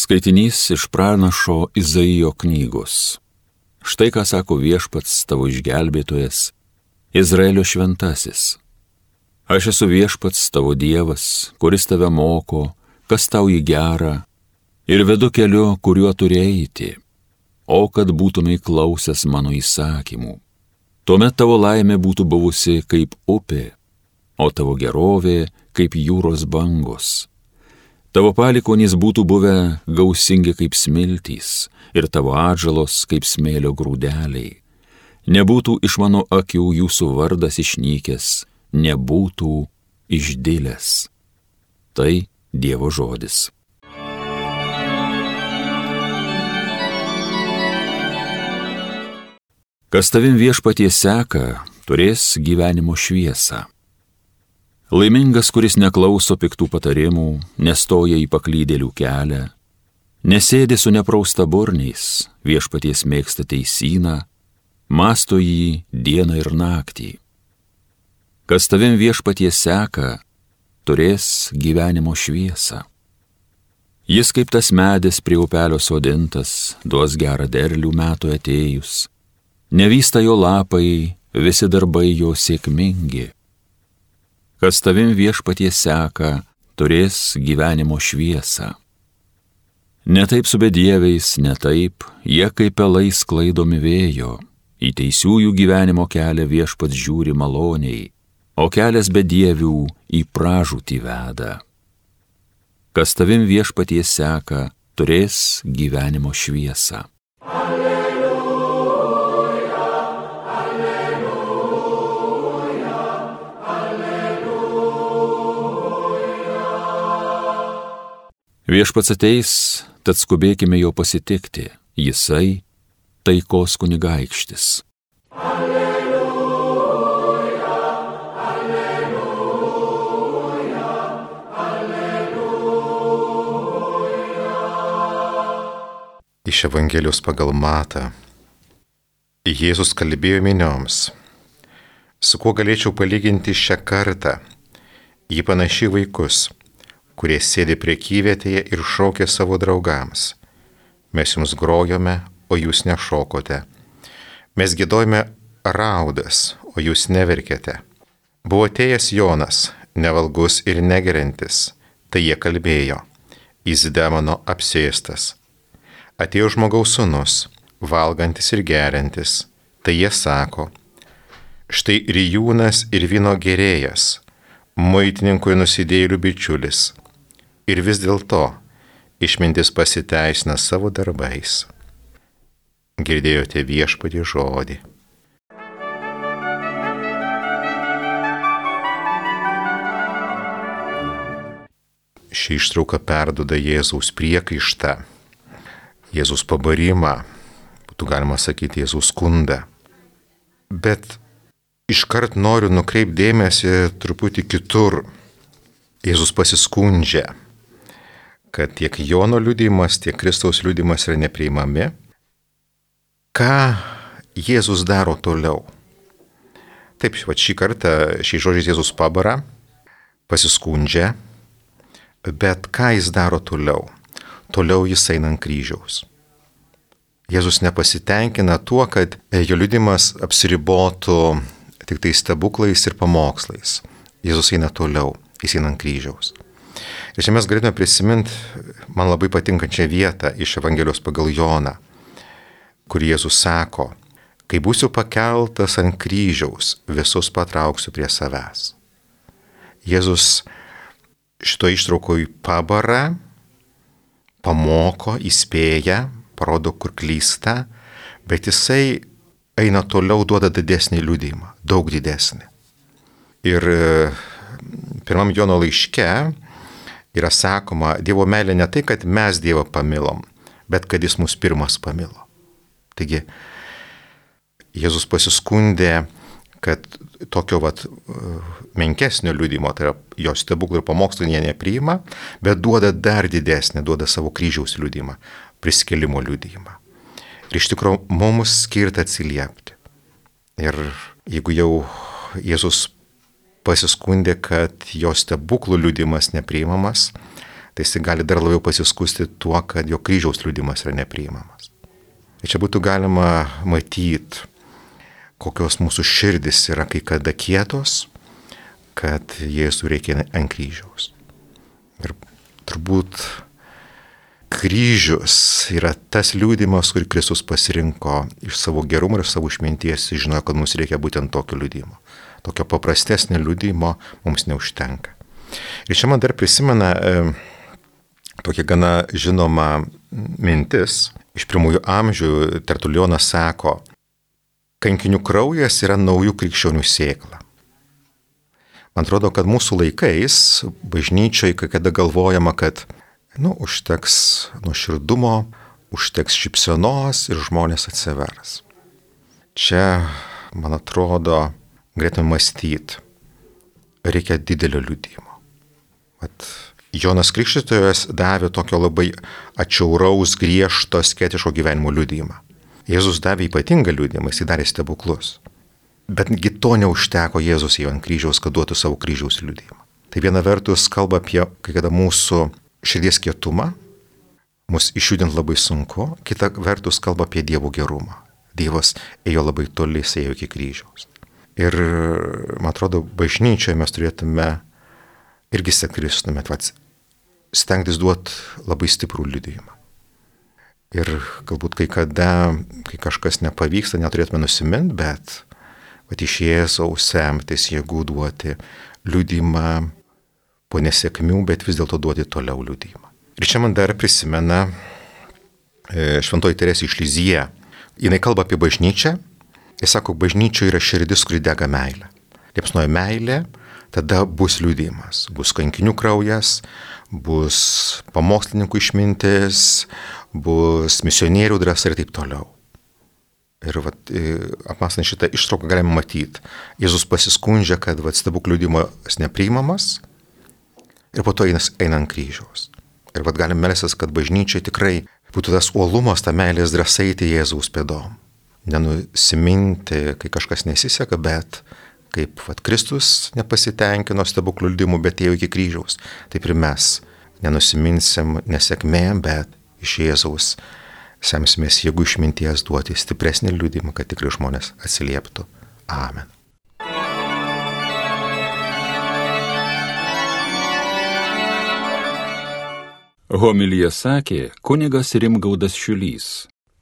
Skaitinys iš pranašo Izaijo knygos. Štai ką sako Viešpats tavo išgelbėtojas, Izraelio šventasis. Aš esu Viešpats tavo Dievas, kuris tave moko, kas tau į gerą, ir vedu keliu, kuriuo turi eiti, o kad būtumei klausęs mano įsakymų. Tuomet tavo laimė būtų buvusi kaip upė, o tavo gerovė kaip jūros bangos. Tavo palikuonys būtų buvę gausingi kaip smiltys ir tavo atžalos kaip smėlio grūdeliai. Nebūtų iš mano akių jūsų vardas išnykęs, nebūtų išdilęs. Tai Dievo žodis. Kas tavim Viešpatie seka, turės gyvenimo šviesą. Laimingas, kuris neklauso piktų patarimų, nestoja į paklydėlių kelią, nesėdi su nepraustaburniais, Viešpaties mėgsta teisyną, mąsto jį dieną ir naktį. Kas tavim Viešpatie seka, turės gyvenimo šviesą. Jis kaip tas medis prie upelio sodintas, duos gerą derlių metų atėjus, nevysta jo lapai, visi darbai jo sėkmingi. Kas tavim Viešpatie seka, turės gyvenimo šviesą. Ne taip su bedieviais, ne taip, jie kaip pelai sklaidomi vėjo, į teisiųjų gyvenimo kelią Viešpats žiūri maloniai, o kelias bedievių į pražūtį veda. Kas tavim Viešpatie seka, turės gyvenimo šviesą. Viešpats ateis, tad skubėkime jo pasitikti, jisai taikos kunigaikštis. Alleluja, alleluja, alleluja. Iš Evangelijos pagal Matą. Jėzus kalbėjo minioms. Su kuo galėčiau palyginti šią kartą? Ji panaši vaikus, kurie sėdi prekyvietėje ir šaukia savo draugams. Mes jums grojome, o jūs nešokote. Mes giedojome raudas, o jūs neverkėte. Buvo atėjęs Jonas, nevalgus ir negeriantis, tai jie kalbėjo, jis demono apsėstas. Atėjo žmogaus sūnus, valgantis ir geriantis, tai jie sako, štai rijūnas ir vyno gerėjas, muitininkui nusidėjėlių bičiulis. Ir vis dėlto išmintis pasiteisina savo darbais. Girdėjote Viešpatie žodį. Ši ištrauka perduoda Jėzaus priekaištą, Jėzaus pabarimą, būtų galima sakyti Jėzaus skundą. Bet iškart noriu nukreipti dėmesį truputį kitur. Jėzus pasiskundžia, kad tiek Jono liudijimas, tiek Kristaus liudijimas yra nepriimami. Ką Jėzus daro toliau? Taip, šį kartą šiais žodžiais Jėzus pabara, pasiskundžia, bet ką jis daro toliau? Toliau jis eina ant kryžiaus. Jėzus nepasitenkina tuo, kad jo liudijimas apsiribotų tik tai stebuklais ir pamokslais. Jėzus eina toliau, jis eina ant kryžiaus. Ir čia mes galėtume prisiminti man labai patinkančią vietą iš Evangelijos pagal Joną, kur Jėzus sako, kai būsiu pakeltas ant kryžiaus, visus patrauksiu prie savęs. Jėzus šito ištraukoj pabara, pamoko, įspėja, parodo, kur klysta, bet jisai eina toliau, duoda didesnį liudijimą, daug didesnį. Ir pirmam Jono laiške yra sakoma, Dievo meilė ne tai, kad mes Dievą pamilom, bet kad jis mus pirmas pamilo. Taigi, Jėzus pasiskundė, kad tokio menkesnio liudijimo, tai yra jo stebuklų ir pamokslų jie nepriima, bet duoda dar didesnį, duoda savo kryžiaus liudijimą, prisikėlimo liudijimą. Ir iš tikrųjų mums skirta atsiliepti. Ir jeigu jau Jėzus pasiskundė, kad jo stebuklų liudijimas nepriimamas, tai jis gali dar labiau pasiskusti tuo, kad jo kryžiaus liudijimas yra nepriimamas. Ir čia būtų galima matyti, kokios mūsų širdis yra kai kada kietos, kad Jėzų reikia ant kryžiaus. Ir turbūt kryžius yra tas liudijimas, kurį Kristus pasirinko iš savo gerumo ir savo išminties, žinojo, kad mums reikia būtent tokio liudijimo. Tokio paprastesnio liudijimo mums neužtenka. Ir čia man dar prisimena tokia gana žinoma mintis. Iš pirmųjų amžių Tertulionas sako, kankinių kraujas yra naujų krikščionių sėkla. Man atrodo, kad mūsų laikais bažnyčioje, kai kada galvojama, kad užteks nuoširdumo, užteks šypsenos ir žmonės atsivers. Čia, man atrodo, galėtume mąstyti, reikia didelio liudijimo. Jonas Krikštytojas davė tokio labai atšiauraus, griežto, sketiško gyvenimo liudijimą. Jėzus davė ypatingą liudijimą, jis darė stebuklus. Betgi to neužteko Jėzus jau ant kryžiaus, kad duotų savo kryžiaus liudijimą. Tai viena vertus kalba apie kai kada mūsų širdies kietumą, mus išjudinti labai sunku, kita vertus kalba apie Dievo gerumą. Dievas ėjo labai toli, jis ėjo iki kryžiaus. Ir, man atrodo, bažnyčioje mes turėtume irgi sekti stengtis duoti labai stiprų liudijimą. Ir galbūt kai kada, kai kažkas nepavyksta, neturėtume nusiminti, bet iš Jėzaus semtis jėgų duoti liudijimą po nesėkmių, bet vis dėlto duoti toliau liudijimą. Ir čia man dar prisimena Šventoji Teresė iš Lizie. Jinai kalba apie bažnyčią. Jis sako, bažnyčioje yra širdis, kuri dega meilė. Liepsnoja meilė, tada bus liudijimas. Bus kankinių kraujas, bus pamokslininkų išmintis, bus misionierių drąsa ir taip toliau. Ir apmąstant šitą ištrauką galime matyti. Jėzus pasiskundžia, kad stebuklų liudijimas nepriimamas ir po to eina ant kryžiaus. Ir galim melstis, kad bažnyčiai tikrai būtų tas uolumas, ta meilės drąsa eiti Jėzaus pėdom. Nenusiminti, kai kažkas nesiseka, bet kaip Kristus nepasitenkino stebuklų liudijimu, bet ėjo iki kryžiaus. Taip ir mes nenusiminsim nesėkmėm, bet iš Jėzaus semsimės jėgų išminties duoti stipresnį liudijimą, kad tikrai žmonės atsilieptų. Amen. Homiliją sakė kunigas Rimgaudas Šiulys.